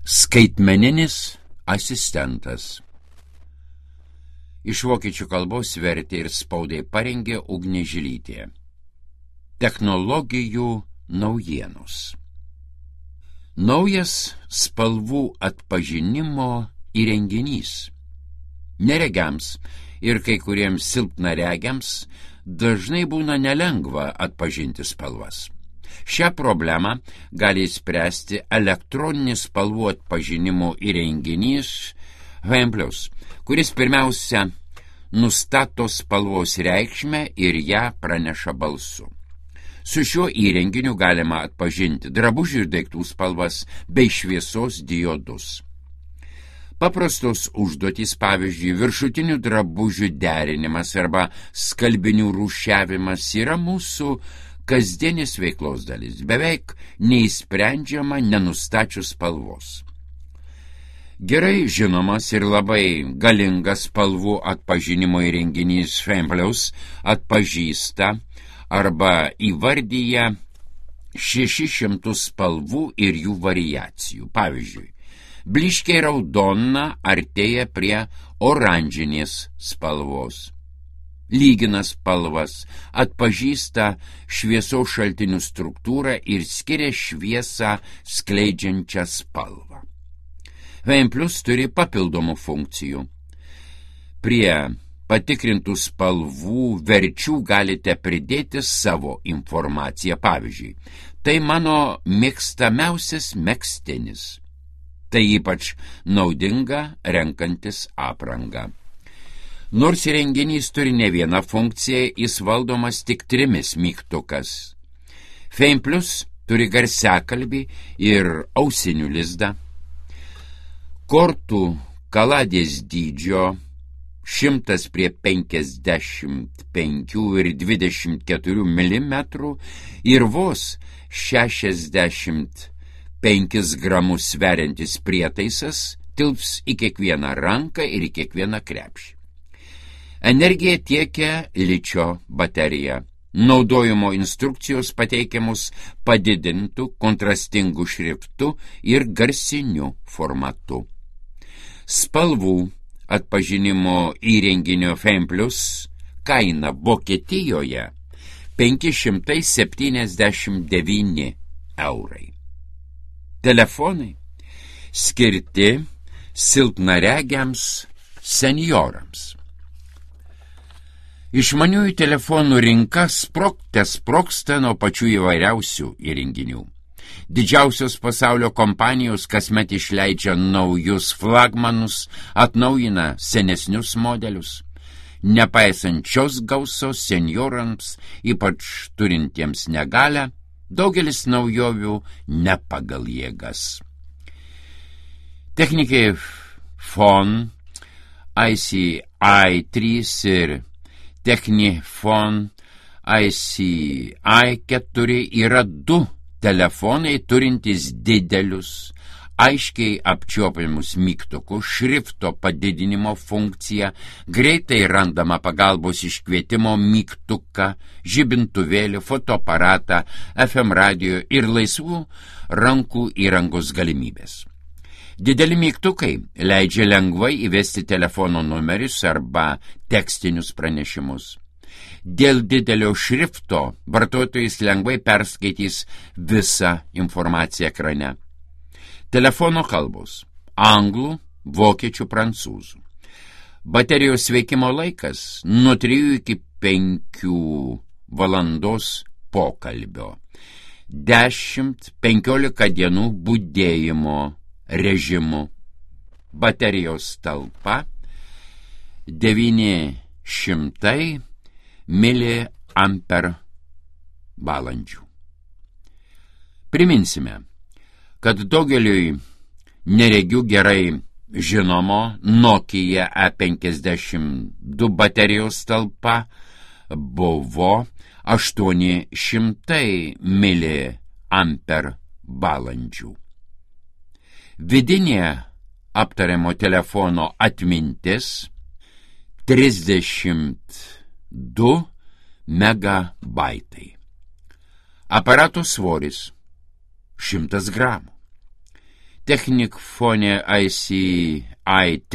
Skaitmeninis asistentas. Iš vokiečių kalbos vertė ir spaudai parengė Ugnė Žilytė. Technologijų naujienos. Naujas spalvų atpažinimo įrenginys. Neregiams ir kai kuriems silpnaregiams dažnai būna nelengva atpažinti spalvas. Šią problemą gali spręsti elektroninis spalvų atpažinimo įrenginys HM+, kuris pirmiausia nustato spalvos reikšmę ir ją praneša balsu. Su šiuo įrenginiu galima atpažinti drabužių ir daiktų spalvas bei šviesos diodus. Paprastos užduotys, pavyzdžiui, viršutinių drabužių derinimas arba skalbinių rūšiavimas yra mūsų kasdienės veiklos dalis, beveik neįsprendžiama nenustačius spalvos. Gerai žinomas ir labai galingas spalvų atpažinimo įrenginys HM+ atpažįsta arba įvardyja 600 spalvų ir jų variacijų. Pavyzdžiui, blyškiai raudona artėja prie oranžinės spalvos. Lygina spalvas, atpažįsta šviesos šaltinių struktūrą ir skiria šviesą skleidžiančią spalvą. HM+ turi papildomų funkcijų. Prie patikrintų spalvų verčių galite pridėti savo informaciją. Pavyzdžiui, tai mano mėgstamiausias megztinis. Tai ypač naudinga renkantis aprangą. Nors įrenginys turi ne vieną funkciją, jis valdomas tik 3 mygtukas. HM+ turi garsiakalbį ir ausinių lizdą. Kortų kaladės dydžio 100 prie 55 ir 24 mm ir vos 65 gramus sveriantis prietaisas tilps į kiekvieną ranką ir į kiekvieną krepšį. Energiją tiekia ličio baterija. Naudojimo instrukcijos pateikiamus padidintų, kontrastingų šriftų ir garsiniu formatu. Spalvų atpažinimo įrenginio HM+ kaina Vokietijoje 579 eurai. Telefonai skirti silpnaregiams senjorams. Išmaniųjų telefonų rinka sprogsta nuo pačių įvairiausių įrenginių. Didžiausios pasaulio kompanijos kasmet išleidžia naujus flagmanus, atnaujina senesnius modelius. Nepaisant šios gausos senjorams, ypač turintiems negalią, daugelis naujovių ne pagal jėgas. Technikai Phone, ICI3 ir Technifon ICI4 yra 2 telefonai turintys didelius, aiškiai apčiuopiamus mygtukus, šrifto padidinimo funkciją, greitai randama pagalbos iškvietimo mygtuką, žibintuvėlį, fotoaparatą, FM radio ir laisvų rankų įrangos galimybės. Dideli mygtukai leidžia lengvai įvesti telefono numerius arba tekstinius pranešimus. Dėl didelio šrifto vartotojas lengvai perskaitys visą informaciją ekrane. Telefono kalbos – anglų, vokiečių, prancūzų. Baterijos veikimo laikas – nuo 3 iki 5 valandos pokalbio. 10-15 dienų budėjimo režimu. Baterijos talpa 900 mAh. Priminsime, kad daugeliui neregių gerai žinomo Nokia E52 baterijos talpa buvo 800 mAh. Vidinė aptariamo telefono atmintis 32 megabaitai. Aparato svoris 100 gramų. Technic-Phone ICI3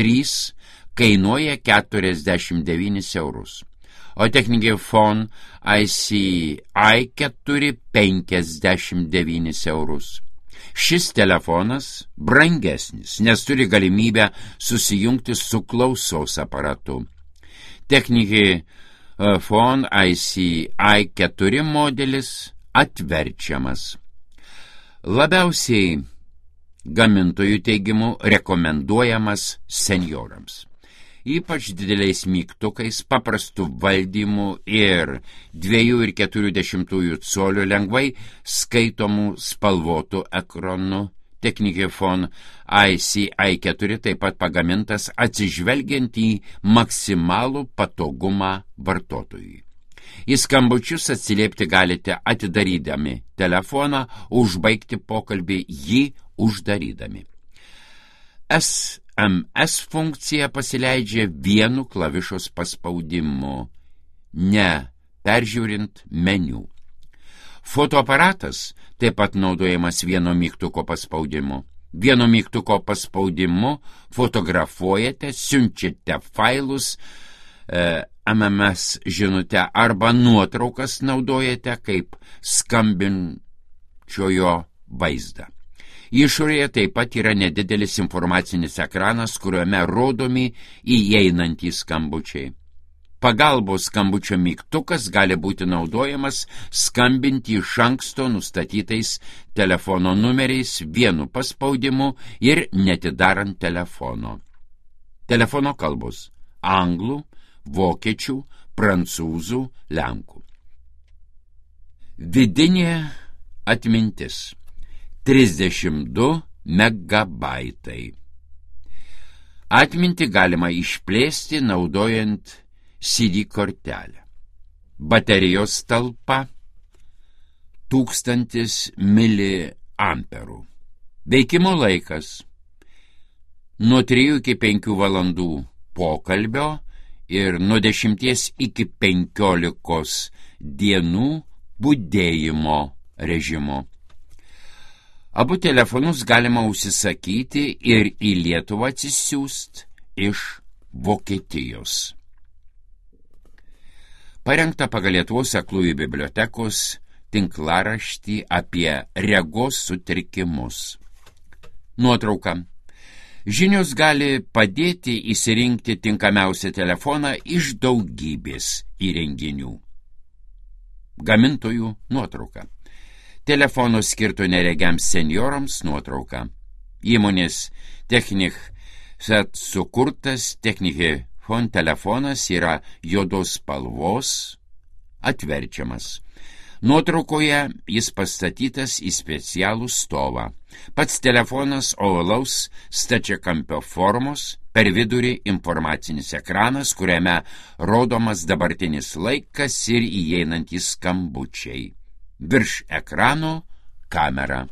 kainuoja 49 eurus, o Technic-Phone ICI4 59 eurus. Šis telefonas brangesnis, nes turi galimybę susijungti su klausos aparatu. Technic-Phone ICI4 modelis atverčiamas. Labiausiai gamintojų teigimu rekomenduojamas senjorams. Ypač dideliais mygtukais, paprastų valdymų ir 2,4 colio lengvai skaitomų spalvotų ekranu. Technic-Phone ICI4 taip pat pagamintas atsižvelgiant į maksimalų patogumą vartotojui. Į skambučius atsiliepti galite atidarydami telefoną, užbaigti pokalbį jį uždarydami. SMS funkcija pasileidžia vienu klavišos paspaudimu, ne peržiūrint meniu. Fotoaparatas taip pat naudojamas vieno mygtuko paspaudimu. Vieno mygtuko paspaudimu fotografuojate, siunčiate failus, MMS žinutę arba nuotraukas naudojate kaip skambinčiojo vaizdą. Išorėje taip pat yra nedidelis informacinis ekranas, kuriuome rodomi įeinantys skambučiai. Pagalbos skambučio mygtukas gali būti naudojamas skambinti iš anksto nustatytais telefono numeriais vienu paspaudimu ir netidarant telefono. Telefono kalbos – anglų, vokiečių, prancūzų, lenkų. Vidinė atmintis – 32 megabaitai. Atmintį galima išplėsti naudojant CD kortelę. Baterijos talpa 1000 miliamperų. Veikimo laikas nuo 3 iki 5 valandų pokalbio ir nuo 10 iki 15 dienų budėjimo režimo. Abu telefonus galima užsisakyti ir į Lietuvą atsisiųst iš Vokietijos. Parengta pagal Lietuvos aklųjų bibliotekos tinklaraštį apie regos sutrikimus. Nuotrauka. Žinios gali padėti išsirinkti tinkamiausią telefoną iš daugybės įrenginių. Gamintojų nuotrauka. Telefono skirto neregiams senjorams nuotrauka. Įmonės Technic-Set sukurtas Technic-Phone telefonas yra juodos spalvos, atverčiamas. Nuotraukoje jis pastatytas į specialų stovą. Pats telefonas ovalaus stačiakampio formos, per vidurį informacinis ekranas, kuriame rodomas dabartinis laikas ir įeinantys skambučiai. Virš ekrano kamera.